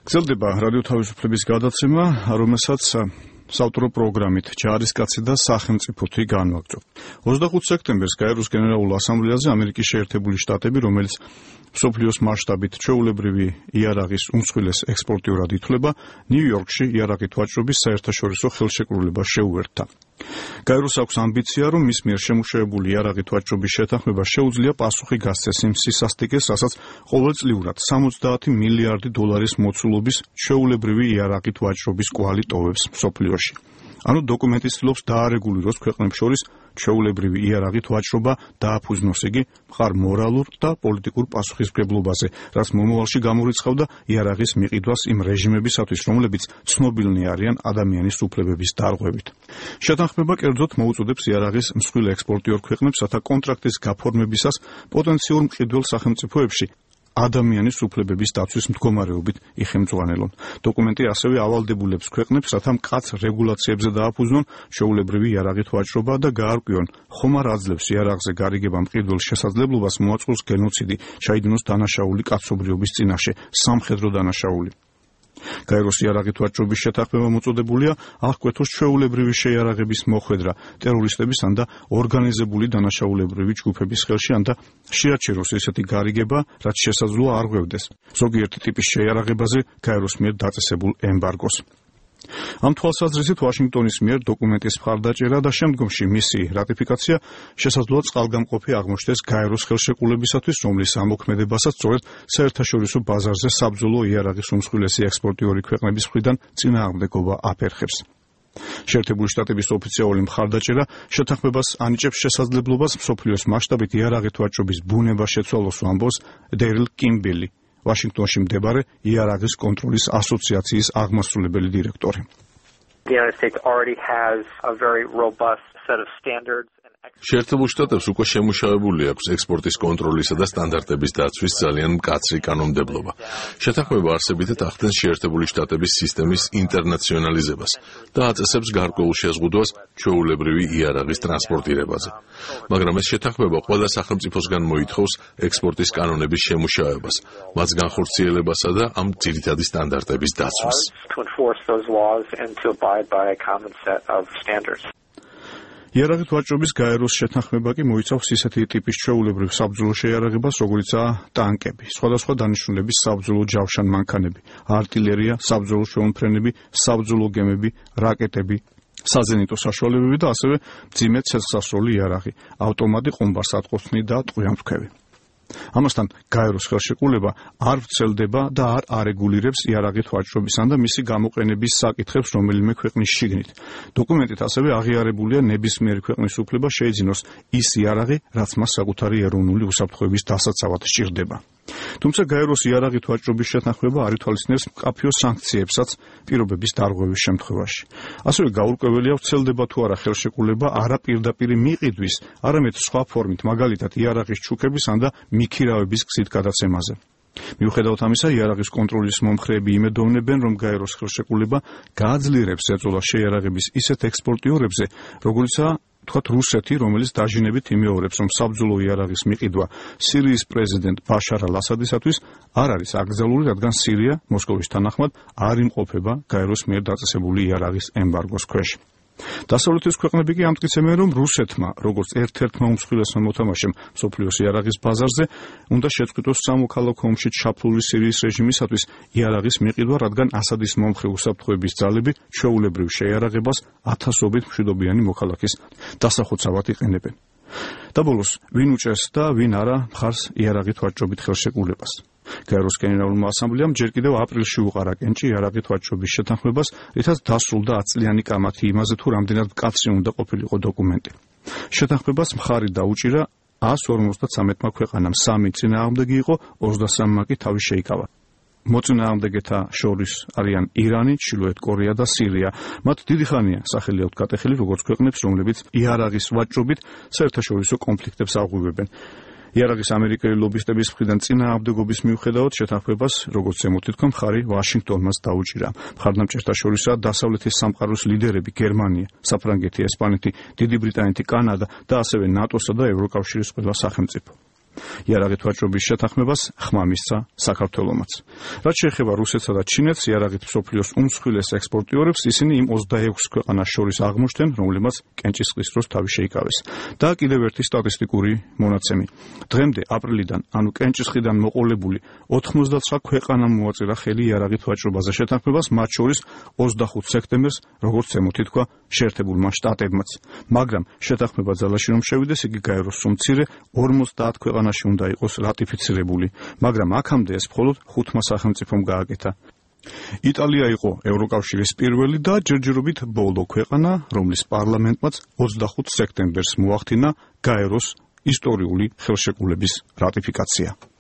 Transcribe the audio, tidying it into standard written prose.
გრძელდება რადიო თავისუფლების გადაცემა, რომელსაც საავტორო პროგრამით ჯარისკაცი და სახელმწიფოთი განვაგრძობ. 25 სექტემბერს გაეროს გენერალურ ასამბლეაზე ამერიკის შეერთებული შტატები, რომელიც მსოფლიოს მასშტაბით ჩვეულებრივი იარაღის უმსხვილეს ექსპორტიორად ითვლება, ნიუ-იორკში იარაღით ვაჭრობის საერთაშორისო ხელშეკრულებას შეუერთდა. გაეროს აქვს ამბიცია, რომ მის მიერ შემუშავებული იარაღით ვაჭრობის შეთანხმება შეუძლია პასუხი გასცეს იმ სისასტიკეს, რასაც ყოველწლიურად 70 მილიარდი დოლარის მოცულობის ჩვეულებრივი იარაღით ვაჭრობის კვალი ტოვებს მსოფლიოში. ანუ დოკუმენტი ცდილობს დაარეგულიროს ქვეყნებს შორის ჩვეულებრივი იარაღით ვაჭრობა დააფუძნოს იგი მხარ მორალურ და პოლიტიკურ პასუხისმგებლობაზე, რაც მომავალში გამორიცხავდა იარაღის მიყიდვას იმ რეჟიმებისათვის, რომლებიც ცნობილნი არიან ადამიანის უფლებების დარღვევით. შეთანხმება კერძოდ მოუწოდებს იარაღის მსხვილ ექსპორტიორ ქვეყნებს, რათა კონტრაქტის გაფორმებისას პოტენციურ მყიდველ სახელმწიფოებში ადამიანის უფლებების დაცვის მდგომარეობით იხემძღვანელონ. დოკუმენტი ასევე ავალდებულებს ქვეყნებს, რათა მკაცრ რეგულაციებზე დააფუძნონ ჩვეულებრივი იარაღით ვაჭრობა და გაარკვიონ, ხომ არ აძლევს იარაღზე გარიგება მყიდველს შესაძლებლობას მოაწყოს გენოციდი, ჩაიდინოს დანაშაული კაცობრიობის წინაშე, სამხედრო დანაშაული. გაეროს იარაღით ვაჭრობის შეთანხმება მოწოდებულია აღკვეთოს ჩვეულებრივი შეიარაღების მოხვედრა ტერორისტებისგან და ორგანიზებული დანაშაულებრივი ჯგუფების ხელში, ან და შეაჩეროს ესეთი გარიგება, რაც შესაძლოა არ ღვევდეს ზოგიერთი ტიპის შეიარაღებაზე გაეროს მიერ დაწესებულ ემბარგოს. ამ თვალსაზრისით ვაშინგტონის მიერ დოკუმენტის მხარდაჭერა და შემდგომში მისი რატიფიკაცია შესაძლოა წყალგამყოფი აღმოჩნდეს გაეროს ხელშეკრულებისათვის, რომლის ამოქმედებასაც სწორედ საერთაშორისო ბაზარზე საბრძოლო იარაღის უმსხვილესი ექსპორტიორი ქვეყნების მხრიდან წინააღმდეგობა აფერხებს. შეერთებული შტატების ოფიციალური მხარდაჭერა შეთანხმებას ანიჭებს შესაძლებლობას მსოფლიოს მასშტაბით იარაღით ვაჭრობის ბუნება შეცვალოს, ამბობს დერილ კიმბელი, ვაშინგტონში მდებარე იარაღის კონტროლის ასოციაციის აღმასრულებელი დირექტორი. შეერთებულ შტატებს უკვე შემუშავებული აქვს ექსპორტის კონტროლისა და სტანდარტების დაცვის ძალიან მკაცრი კანონმდებლობა. შეთანხმება არსებითად ახდენს შეერთებული შტატების სისტემის ინტერნაციონალიზებას და აწესებს გარკვეულ შეზღუდვას ჩვეულებრივი იარაღის ტრანსპორტირებაზე. მაგრამ ეს შეთანხმება ყველა სახელმწიფოსგან მოითხოვს ექსპორტის კანონების შემუშავებას, მას განხორციელებასა და ამ ძირითადი სტანდარტების დაცვას. იარაღით ვაჭრობის გაეროს შეთანხმება კი მოიცავს ისეთი ტიპის ჩვეულებრივ საბრძოლო შეიარაღებას, როგორიცაა ტანკები, სხვადასხვა დანიშნულების საბრძოლო ჯავშან მანქანები, არტილერია, საბრძოლო შეუმფრენები, საბრძოლო გემები, რაკეტები, საზენიტო საშუალებები და ასევე მძიმე ცეცხლსასროლი იარაღი, ავტომატი ყუმბარსატყუხნი და ტყვიამფრქვევი. ამასთან გაეროს ხელშეკრულება არ ვრცელდება და არ არეგულირებს იარაღით ვაჭრობისან და მისი გამოყენების საკითხებს რომელიმე ქვეყნის შიგნით. დოკუმენტით ასევე აღიარებულია ნებისმიერი ქვეყნის უფლება შეიძინოს ის იარაღი, რაც მას საკუთარი ეროვნული უსაფრთხოების დასაცავად სჭირდება. თუმცა გაეროს იარაღით ვაჭრობის შეთანხმება არ ითვალისწინებს მკაფიო სანქციებსაც პირობების დარღვევის შემთხვევაში. ასევე გაურკვეველია ვრცელდება თუ არა ხელშეკრულება არა პირდაპირი მიყიდვის, არამედ სხვა ფორმით, მაგალითად იარაღის ჩუქების ან და მიქირავების გზით გადაცემაზე. მიუხედავად ამისა, იარაღის კონტროლის მომხრეები იმედოვნებენ, რომ გაეროს ხელშეკრულება გააძლიერებს ეწოლა შეიარაღების ისეთ ექსპორტიორებზე, როგორიცაა თქვათ რუსეთი, რომელიც დაჟინებით იმეორებს, რომ საბრძოლო იარაღის მიყიდვა სირიის პრეზიდენტ ბაშარ ალ-ასადისათვის არ არის აკრძალული, რადგან სირია მოსკოვის თანახმად არ იმყოფება გაეროს მიერ დაწესებული იარაღის ემბარგოს ქვეშ. დასავლეთის ქვეყნები კი ამტკიცებენ, რომ რუსეთმა, როგორც ერთ-ერთმა უმსხვილესმა მოთამაშემ მსოფლიოს იარაღის ბაზარზე, უნდა შეწყვიტოს სამოქალაქო ომში ჩაფლული სირიის რეჟიმისათვის იარაღის მიყიდვა, რადგან ასადის მომხრე უსაფრთხოების ძალები ჩვეულებრივ შეიარაღებას ათასობით მშვიდობიანი მოქალაქის დასახოცავად იყენებენ. და ბოლოს, ვინ უჭერს და ვინ არა მხარს იარაღით ვაჭრობით ხელშეკრულებას. გაეროს გენერალურმა ასამბლეამ ჯერ კიდევ აპრილში უყარა კენჭი იარაღით ვაჭრობის შეთანხმებას, რითაც დასრულდა 10 წლიანი კამათი იმაზე, თუ რამდენად მკაცრი უნდა ყოფილიყო დოკუმენტი. შეთანხმებას მხარი დაუჭირა 153 ქვეყანამ, 3 წინააღმდეგი იყო, 23-მა კი თავი შეიკავა. მოწინააღმდეგეთა შორის არიან ირანი, ჩრდილოეთ კორეა და სირია. მათ დიდი ხანია სახელი აქვთ გატეხილი როგორც ქვეყნებს, რომლებიც იარაღის ვაჭრობით საერთაშორისო კონფლიქტებს აღვივებენ. იარაღის ამერიკელი ლობისტების მხრიდან წინააღმდეგობის მიუხედავად შეთანხმებას, როგორც ზემოთ თქვა, მხარი ვაშინგტონმაც დაუჭირა. მხარდამჭერთა შორისაა დასავლეთის სამყაროს ლიდერები გერმანია, საფრანგეთი, ესპანეთი, დიდი ბრიტანეთი, კანადა და ასევე ნატოსა და ევროკავშირის ყველა სახელმწიფო. იარაღით ვაჭრობის შეთანხმებას ხმა მისცა საქართველომაც. რაც შეეხება რუსეთსა და ჩინეთს, იარაღით მსოფლიოს უმსხვილეს ექსპორტიორებს, ისინი იმ 26 ქვეყანას შორის აღმოჩნდნენ, რომლებმაც კენჭისყრის დროს თავი შეიკავეს. და კიდევ ერთი სტატისტიკური მონაცემი. დღემდე აპრილიდან, ანუ კენჭისყრიდან მოყოლებული 99 ქვეყანამ მოაწერა ხელი იარაღით ვაჭრობაზე შეთანხმებას, მათ შორის 25 სექტემბერს, როგორც ზემოთ ითქვა, შეერთებულმა შტატებმაც. მაგრამ შეთანხმება ძალაში რომ შევიდეს, იგი გაეროს მცირე 50 ქვეყანაში უნდა იყოს რატიფიცირებული, მაგრამ აქამდე ეს მხოლოდ 5 სახელმწიფომ გააკეთა. იტალია იყო ევროკავშირის პირველი და ჯერჯერობით ბოლო ქვეყანა, რომლის პარლამენტმაც 25 სექტემბერს მოახდინა გაეროს ისტორიული ხელშეკრულების რატიფიკაცია.